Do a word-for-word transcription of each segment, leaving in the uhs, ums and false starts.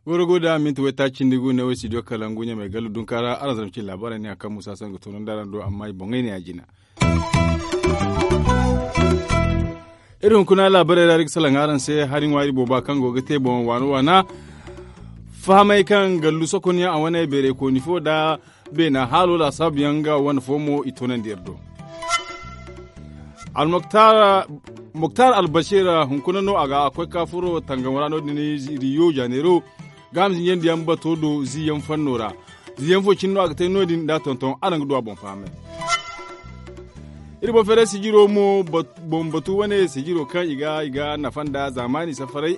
Warago da minti waytaaci nda gu ne wo studio kalangu ɲamay gallu dunka ra araŋ zama cine laabaarey ne a kaŋ musa sangu toonandi araŋ do amma i boŋey ne a jina. Iri hunkuna laabaarey ra iri ga salaŋ araŋ se hari ŋwaari booba kaŋ go ga te boŋ waana waana fahamey kaŋ gallu sokonyaŋ a wane beerey kooni fo da beena haalo laasaabuyaŋ nga wane fo mo i toonandi iri do. Moktar albasir hunkuna no a ga a koy ka furo tangamo ra no- din riyo janeero gaaham zinjandiyaŋ bato do ziiyaŋ fanno ra. Ziiyaŋ fo cine no a ga te no- din nda tonton araŋ ga du a boŋ fahamay. Iri boŋ feeray sijiro mo boŋ batu wane sijiro kaŋ i ga nafa nda zaamaani safaray.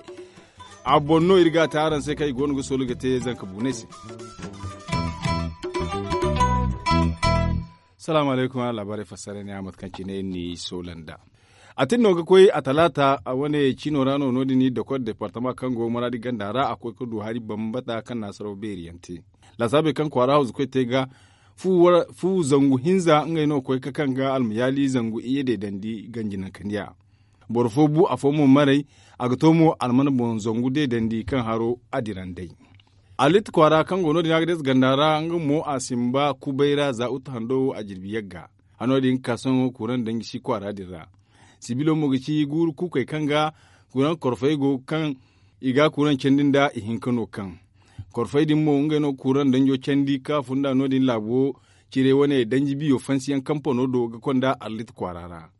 A boŋ no iri ga a te araŋ se kaŋ i go no ga soolu ga te zanka buunay se. Salaamu alaykum a laabaarey fassara ne a mate kaŋ cine iri n'i soola nd'a. A tin no ga koy a talaata a wane ciino ra no no- din iri dokor departama kaŋ go maraadi ganda ra a koy ga du hari bambata kaŋ naasaraw beeri yaŋ te. Laasaabey kaŋ kwaara hawzu koy te ga fu zangu hinza ngey no ga koy ga kaŋ ga almayaali zangu iyye deedandi ganji nankandiya. Boro fo bu afo mo maray. A ga to mo alman boŋ zangu deedandi kaŋ haro a dira nd'ey. Alit kwaara kaŋ go no- din a ga deesa ganda ra nga mo a simba kubay ra za utu hando wo a jirbi yagga. Hano din ga ka sohõ kuuraŋ danji si kwaara din ra. Sibilo mo ga ci guuru kuukey kaŋ ga kuuraŋ korfey go kaŋ i ga kuuraŋ candi nda ihinka no kaŋ korfey din mo ngey no ga kuuraŋ danjo candi ka funda no- din laabo cire wane danji biyo fansiyaŋ kampano do ga konda alit kwaara ra.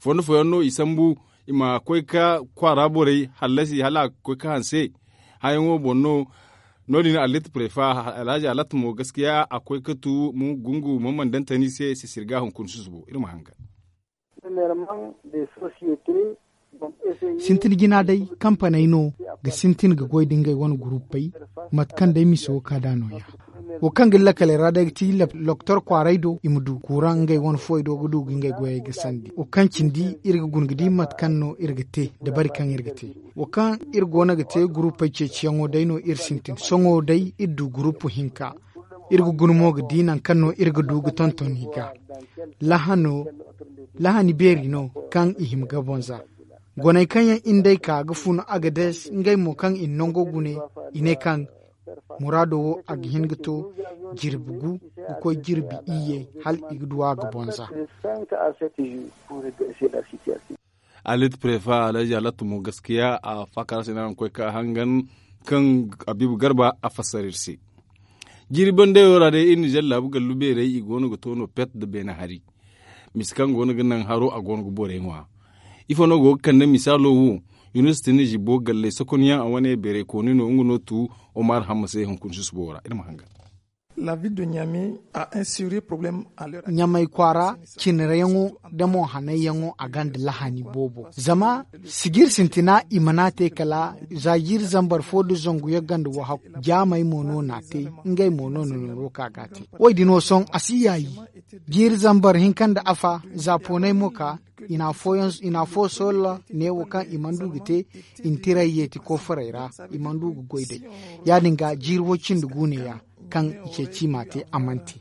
Fondo fooyaŋ no i sambu i ma koy ga kwaara borey hallasi hala a ga koy ga hanse. Hayaŋo boŋ no no- din alit prefa alhazi alat mo gaskiya a koy ga tu gungu maman dantani se sisirga hunkuna susubo iri ma hangan. Sintin jina day kampaney no ga sintin ga goy da ngey wane guruppey. Mate kaŋ day mise wo ka da nooya wo kaŋ ga lakaley ra day ga ti loktor kwaaray do i ma du kuuraŋ ngey wane fuwey do ga du ga ngey goyey ga sandi wo kaŋ cindi iri ga guna ga di mate kaŋ no iri ga te dabari kaŋ iri ga te. Wo kaŋ iri go no ga te guruppey ceeciyaŋo day no iri sintin sohõ day iri du guruppu hinka. Iri ga guna mo ga di nangu kaŋ no iri ga du ga tonton i ga lahani beeri no kaŋ i hima ga bonza. Goney kaŋ yaŋ iri nd'ey ka ga fun agades ngey mo kaŋ i na nango gune i ne kaŋ muraado wo a ga hin ga to jirbi gu ga koy jirbi iyye hala i ga du a ga bonza. Alit prefa alhaji alattu mo gaskiya a faakar se no a ga koy ka hangan kaŋ abiibu garba a fassara iri se. Jiiri bandayo ra day iri na zallaabu gallu beerey i go no ga to no pet nda beene hari. Mise kaŋ go no ga naŋ haro a go no ga borey ŋwa. Ifo no go ga kande misaalo wo? Yunus tini zibo galley sokonyaŋ a wane beerey kooni no nga no tu omar hamma se hunkuna susubo ra iri ma hangan. Ɲamay kwaara cinirayaŋo da mo hanayyaŋo a gonda lahani boobo zama sijir sintina i mana te kala za jiiri zambar fo nda zangu yaŋ gonda wahakku jaamey mo no n'a te. Ngey mo no na nooru ka ga a te. Wo- din wo sohõ a si yaayi. Jiiri zambar hinka nda afa za poonay mo ka i na afo soola neewo kaŋ i mana du ga te. I na tiray yeeti kofarey ra i mana du ga goy day. Ya- din ga jiiri wo- cindi gu neeya kaŋ i ceeci i m'a te a mana te.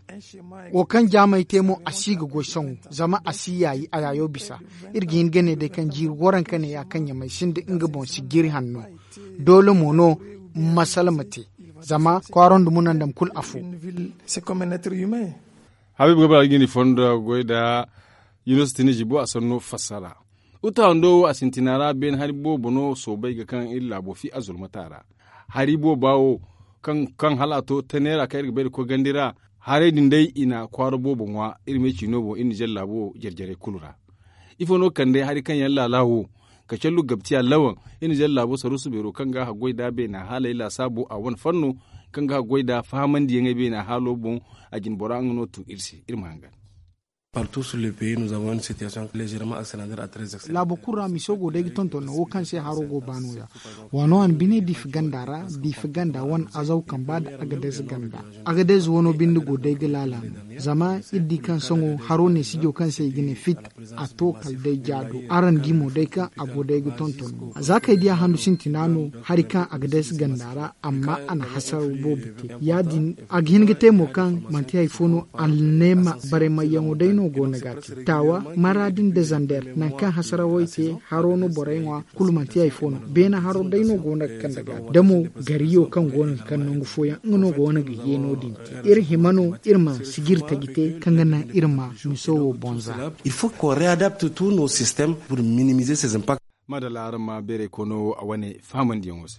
Wo kaŋ jaamey te mo a si ga goy sohõ zama a si yaayi a yaayo bisa. Iri ga hin ga ne day kaŋ jiiri waranka neeya kaŋ ɲamay sinda nga boŋ si jiiri hanno. Doole mo no masala ma te zama kwaaro nda munandam kulu afo. Habiibu ga bara ga jindi fondo goy nda yunus tini zibo a sanno fassara. Uta hando wo a sintina ra beene hari boobo no soobay ga kaŋ iri laabo fi a zulmata ra. Hari booba wo kaŋ hala a to taneera kaŋ iri ga bay nda koy gandi ra. Haray din day i na kwaara boobo ŋwa iri me ciino boŋ iri nizer laabo jare-jarey kulu ra. Ifo no ga kande hari kaŋ yaŋ laala wo? Kacallu gabtiya lawan iri nizer laabo saruusu beero kaŋ ga haggoy nd'a beena haaley laasaabo a wane fanno kaŋ ga haggoy nd'a fahamandiyaŋey beena haalo boŋ. A jine bora nga no tu iri se iri ma hangan. Partout sur le pays nous avons une situation légèrement accélérée à très accélérée. Laabo kulu ra miso go day ga tonton no wo kaŋ se haro go ba no- ya. Waano wane bine diifa ganda ra, diifa ganda wane azaw kamba nda agadez ganda. Agadez wano binde go day ga laala no zama iri di kaŋ sohõ haro ne sijo kaŋ se i ga ne fit, a to kala day jaado. Araŋ di mo day kaŋ a go day ga tonton no za kaŋ ay di a handu sintina no hari kaŋ agadez ganda ra, amma a na hasara boobo te. Ya- din a ga hin ga te mo kaŋ manti hari fo no, alneema baraymayyaŋo day no go no ga a te taawa maraadi nda zander nangu kaŋ hasarawey te. Haro no borey ŋwa kulu manti hari fo no. Beene haro day no go no ga kande ga a te da mo gariyo kaŋ go no ga kande nangu fooyaŋ nga no go no ga ye no- din te. Iri hima no iri ma sijiri taji te kaŋ ga naŋ iri ma miso wo boŋ za. Il faut qu'on réadapte tous nos systèmes pour minimiser ces impacts. Madalla araŋ ma beeray kono a wane fahamandiyaŋo se.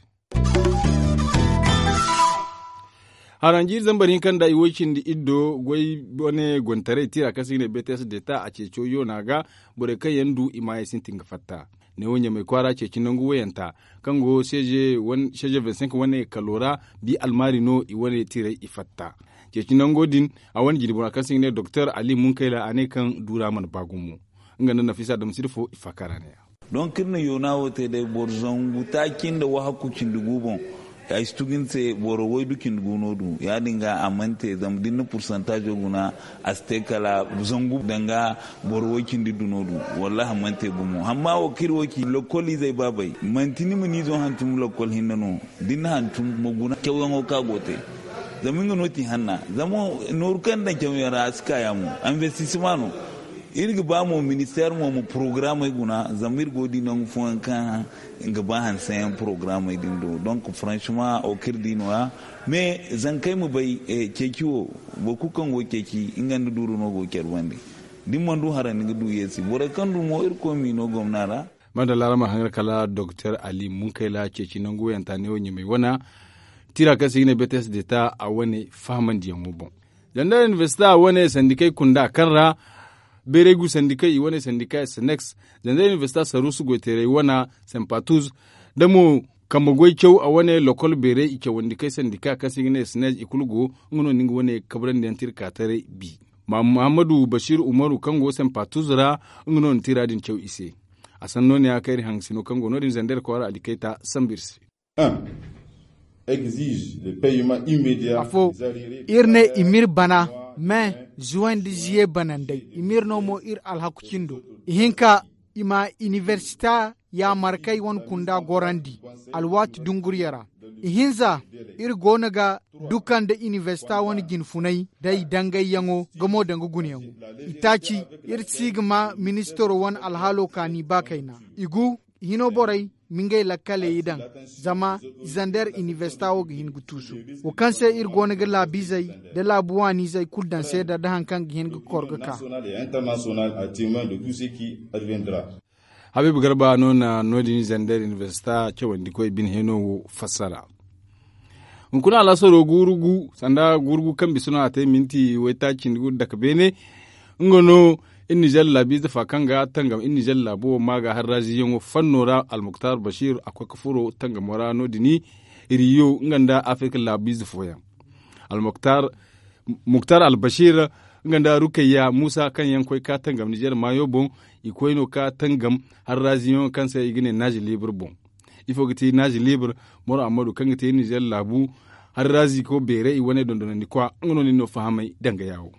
Haranjiiri zambar hinka nda i woy cindi iddo goy wane gontaray tira kaŋ se i ga ne bts deta a ceeco yoona ga borey kaŋ yaŋ du i maayey sintin ga fatta. Neewo ɲamay kwaara ceeci nangu wayanta kaŋ go seeze vingt-cinq wane kalo ra. Bi almaari no i wane tiray i fatta. Ceeci nango din a wane jirbi ra kaŋ se i ga ne doktor ali munkayla a ne kaŋ duura mana ba gumo. Nga nda nafisa damsiri fo i faakara ne ya. Donc iri na yoona wo te day boro zangu taaci nda wahakku cindi gu boŋ. Ay si tugu ni se boro waydu cindi gu no du ya- din ga a mana te zama da ni na pursantazo guna a si te kala zangu danga boro way cindi du no du. Wallahi a mana te gumo amma wo kaŋ iri wo ci lokol izey baabey manti ni ma ni izo hantum lokol hinne no. Da ni na hantum ma guna cawyaŋo kaŋ a go ga te zama nga no ti hanna. Zama nooru kaŋ ni daŋ cawyaŋ ra a si ka ya mo. Investissement no. Iri ga ba mo ministeer mo ma porogaramey guna zama iri go ga di nangu fooyaŋ kaŋ ga ba hanseyaŋ porogaramey din do donc franchement wo kaŋ iri di no- ya. Mais zankey ma bay ceeci wo boro kulu kaŋ go ga ceeci nga nda duuru no go ga care bandi. Da ni mana du haray ni ga du yeesi borey kaŋ du mo irkoy m'i no gomna ra. Madalla araŋ ma haŋar kala doktor ali munkayla ceeci nangu wayanta neewo ɲamay wana. Tira kaŋ se i ga ne bts deta a wane fahamandiyaŋo boŋ. Zandar universita wane sandikey kunda kaŋ ra beerey gu sandikey i wane sandika sneks. Zandar universita saruusu goyteerey wana sempatuz da mo kambe goy caw a wane lokol beerey i cawandi kay sandika kaŋ se i ga ne snes i kulu go. Nga no ni ga wane kabrandi yaŋ tira ka taray bi. Muhammadu basiir umaru kaŋ go sempatuz ra nga no na tira din caw i se. A sanno ne ya kaŋ iri hangasino kaŋ go no- din zandar kwaara alikayta sambu iri se. Afo, iri ne i m'iri bana me zuway nda ziye banandey i m'iri no mo iri alhaku cindo. Ihinka i ma iniversita yaamarkey wane kunda gorandi alwaati dunguriya ra. Ihinza, iri go no ga duka nda iniversita wane jinfunay day dangayyaŋo ga mo danga gunayaŋo. Itaaci, iri si ga ma ministaro wane alhaalo kaani ba kayna. I gu i hino borey ma ngey lakkaley i daŋ zama i zander iniversita wo ga hin ga tuusu. Wo kaŋ se iri go no ga laabiizey nda laabu waaniizey kulu daŋ seeda nda hari kaŋ ga hin ga kor ga ka. Habiibu garba no na no- din zander iniversita cawandikoy bine heno wo fassara. Hunkuna alaasaro guuru gu sanda guuru gu kaŋ bisa no a te minti waytaaci nda guuru dake beene. Nga no iri nizer laabiize fa kaŋ ga tangam iri nizer laabo wo ma ga harraziyaŋo fanno ra almuktar basiir a koy ga furo tangamo ra no- din. Riyo nga nda afirka laabiize fooyaŋ. Almuktar albasir nga nda rukayya muusa kaŋ yaŋ koy ka tangam nizer maayo boŋ. I koy no ka tangam harraziyaŋo kaŋ se i ga ne naazi libre boŋ. Ifo ga ti naazi libre? Moro ammadu kaŋ ga te nizer laabu harrazi ko beeray i wane dondonandi kwa nga no nin no fahamay danga yaawo.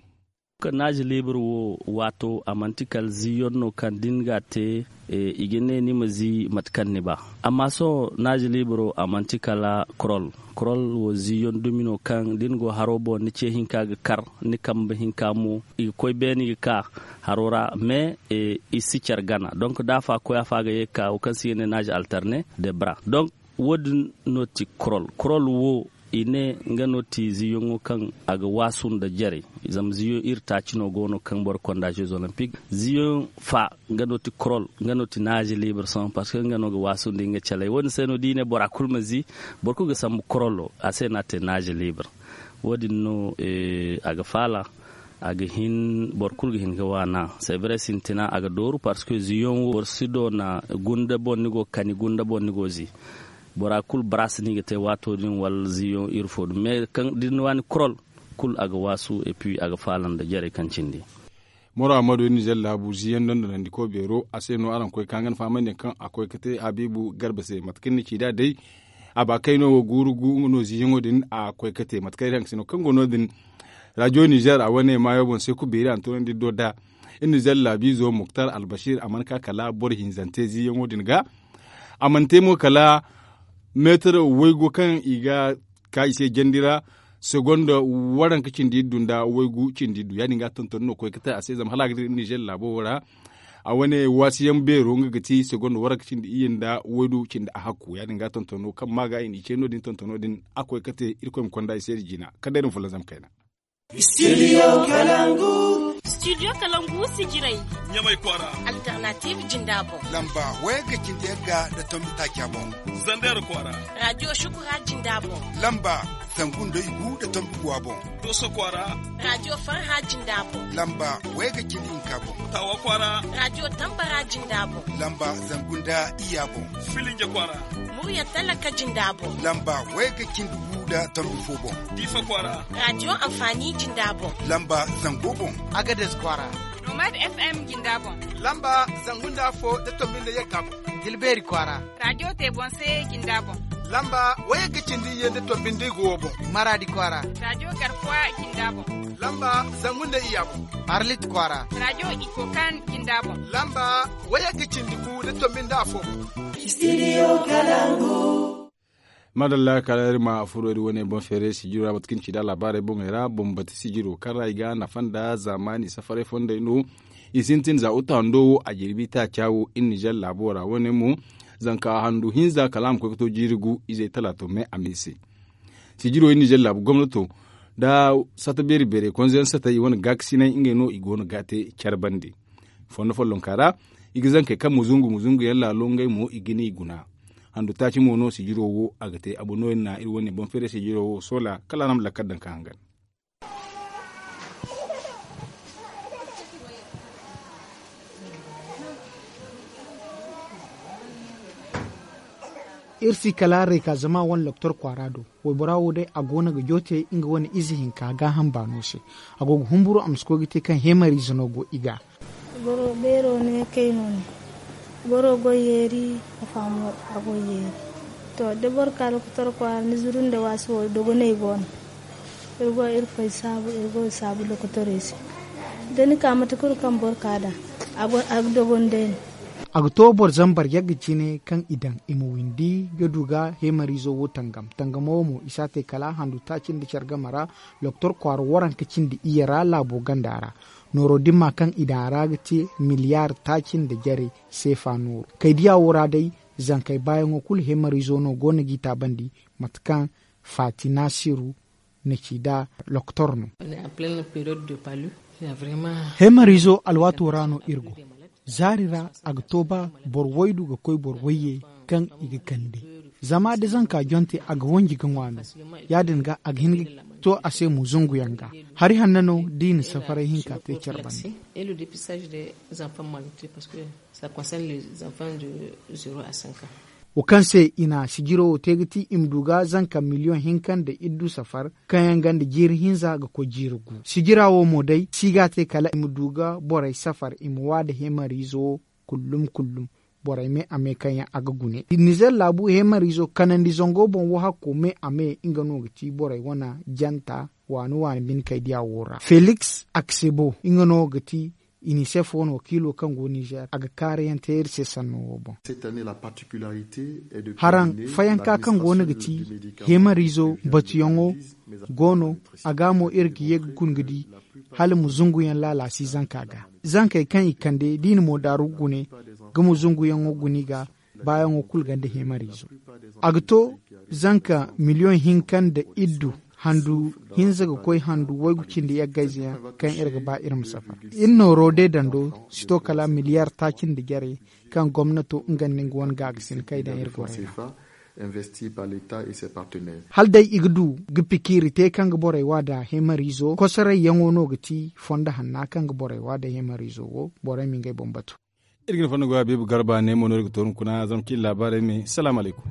Naazi libre wo waato a manti kala ziiyaŋ no kaŋ da ni ga a te i ga ne ni ma zii mate kaŋ ni ba. Amma sohõ naazi libre wo a manti kala korol. Korol wo ziiyaŋ dumi no kaŋ da ni go haro boŋ ni ce hinka ga kar ni kambe hinka mo i ga koy beene i ga ka haro ra. Mais i si care gana donk da afa koy afa ga ye ga ka wo kaŋ se i ga ne naazi alterne de bra. Donk wo- din no ti korol korol wo i ne nga no ti ziiyaŋo kaŋ a ga waasu nda jarey. Zama ziiyaŋ iri taaci no go no kaŋ boro konda jeux olympique ziiyaŋ fa nga no ti korol nga no ti naazi libre sohõ parceque nga no ga waasu nda nga caley wo- din se no da i ne bora kulu ma zii. Boro kulu ga sambu korolo a se no a te naazi libre. Wo- din no a ga faala a ga hin boro kulu ga hin ga waana. C'est vrai sintina a ga dooru parceque ziiyaŋ wo boro si doona gunda boŋ ni go ga kani gunda boŋ ni go ga zii. Bora kulu baraasi no i ga te waato din wala ziiyaŋ iri fo din mais kaŋ da ni waani korol kulu a ga waasu et puis a ga faala nda jarey kaŋ cindi. Moro amadu iri nizer laabu ziyaŋ dondonandiko beero a se no araŋ koy ka nga na fahamandi yaŋ kaŋ a koy ga te habiibu garba se mate kaŋ ni ci nd'a day. A ba kayno wo guuru gu nga no ziyaŋo din a koy ga te mate kaŋ iri haŋ ga se no kaŋ go no- din. Rajo nizer a wane maayo boŋ se kulu beeri a na tunandi do nd'a. Iri nizer laabiizo muktar albasir a mana ka kala boro hinzante ziyaŋo din ga. A mana te mo kala meetar waygu kaŋ i ga ka i se jandi ra. Segonda waranka cindi iddu nda waygu cindi iddu ya- din ga tonton no koy ga te a se zama hala a ga dira nizer laabo wo ra. A wane waasiyaŋ beero nga ga ti segonda waranka cindi iyye nda waydu cindi a hakku ya- din ga tontono kaŋ ma ga i n'i ce no- din tontono din a koy ga te irkoy ma konda i se da jina. Kala day da ma fulanzam kayna. Studio kalangu. Studio kalangu sijiray. Ɲamay kwaara. Alternative jinda boŋ. Lamba wayagga cindi yagga nda tombi taaca boŋ. Zander kwaara. Radio shukura jinda boŋ. Lamba zangu nda igu nda tombi guwa boŋ. Doso kwaara. Radio farha jinda boŋ. Lamba wayagga cindi hinka boŋ. Tawa kwaara. Radio tambara jinda boŋ. Lamba zangu nda iyya boŋ. Filinje kwaara. Murya talaka jinda boŋ. Lamba wayagga cindi gu nda tombi fo boŋ. Diifa kwaara. Radio amfani jinda boŋ. Lamba zango boŋ. Agades kwaara. Nomad fm jinda boŋ. Lamba zangu nda afo nda tombi nda yagga boŋ. Dilbeeri kwaara. Radio te boŋ se jinda boŋ. Lamba wayagga cindi iyye nda tombi nda igu wo boŋ. Maraadi kwaara. Radio garkuwa jinda boŋ. Lamba zangu nda iyya boŋ. Arlit kwaara. Radio ikokan jinda boŋ. Lamba wayagga cindi gu nda tombi nda afo boŋ. Studio kalangu. Madalla kala iri ma furo iri wane boŋ feeray sijiro ra mate kaŋ ci nda laabaarey boŋey ra boŋ bati sijiro kaŋ ra i ga nafa nda zaamaani safaray fondey no. I sintin za uta hando wo a jirbi taaca wo iri nizer laabo ra wane mo. Zanka handu hinza kala a ma koy ga to jiiri gu izey talaato me a me se. Sijiro iri nizer laabu gomnato nda sata beeri beerey konze yaŋ sata i wane gaakasinay ngey no i go no ga te care bande. Fondo follonka ra i ga zankey kaŋ muzungu muzungu yaŋ laalo ngey mo i ga ne i guna. Handu taaci mo no sijiro wo a ga te a boŋ no iri na iri wane boŋ feeray sijiro wo soola kala a na ma lakkal daŋ ka hangan. Iri si kala reka zama wane loktor kwaara do. Waybora wo day a go no ga joote nga wane ize hinka gaaham baano se. A go ga humburu a ma si koy ga te kaŋ heemariize no go i ga. Boro beero ne kay no ne. Boro goy yeeri. Afa mo a goy yeeri. To da boro ka lokotor kwaara ni zuru nda waasi wo dogonay go no. Iri go iri fay saabu iri go saabu lokotorey se. Da ni ka mate kulu kaŋ boro ka da a ga dogon day no. A ga to boro zambar yagga cine kaŋ i daŋ i ma windi ga du ga heemariizo wo tangam tangamo mo i si a te kala handu taaci nda care game ra. Loktor kwaara waranka cindi iyye ra laabo ganda ra. Nooro dimma kaŋ i daŋ a ra ga te miliyaar taaci nda jare seefa nooru kay diya wo ra day. Zankey baayaŋo kulu heemariizo no go no g'i taabandi mate kaŋ faati naasiru na ci nda loktor no. Heemariizo alwaato ra no iri go. Zaari ra a ga to ba boro waydu ga koy boro wayye kaŋ i ga kande. Zama da zanka jonte a ga wanji ga ŋwa no. Ya- din ga a ga hin ga to a se mo zunguyaŋ ga. Hari hanno no da i na safaray hinka te care banda. Wo kaŋ se i na sijiro wo te ga ti i ma du ga zanka miliyoŋ hinka nda iddu safar kaŋ yaŋ ganda jiiri hinza ga koy jiiri gu sijira wo mo day si ga a te kala i ma du ga borey safar i ma wa nda heemariizo wo. Kullum kullum borey me a me kaŋ yaŋ a ga gune nizer laabu heemariizo kanandi zango boŋ wo hakko me a me nga no ga ti borey wane janta waani waani bine kay diya wo ra feliks aksebo nga no ga ti. Inisef wane wakiilo kaŋ go nizer a ga kaarayaŋ te iri se sanno wo boŋ. Haraŋ fayanka kaŋ go no ga ti heemariizo batuyaŋo go no. A ga mo iri ga ye ga guna ga di hala ma zunguyaŋ laalaasi zanka ga zankey kaŋ i kande da i na mo daaru gune ga ma zunguyaŋo guna i ga baayaŋo kulu ganda heemariizo. A ga to zanka miliyoŋ hinka nda iddu handu hinza ga koy handu waygu cindi yaggayze yaŋ kaŋ iri ga ba iri ma safar. Iri nooro day dando si to kala miliyaar taaci nda jare kaŋ gomnato nga nda nga wane gaagasin kay daŋ iri gorey ra. Hala day i ga du ga pikiiri te kaŋ ga borey wa nda heemariizo kosorayyaŋo no ga ti fondo hanna kaŋ ga borey wa nda heemariizo wo borey ma ngey boŋ batu. Iri ga ni fonda goya beebu garba ne mo no iri ga tooru kuna zama cin laabaarey me salaamu alaykum.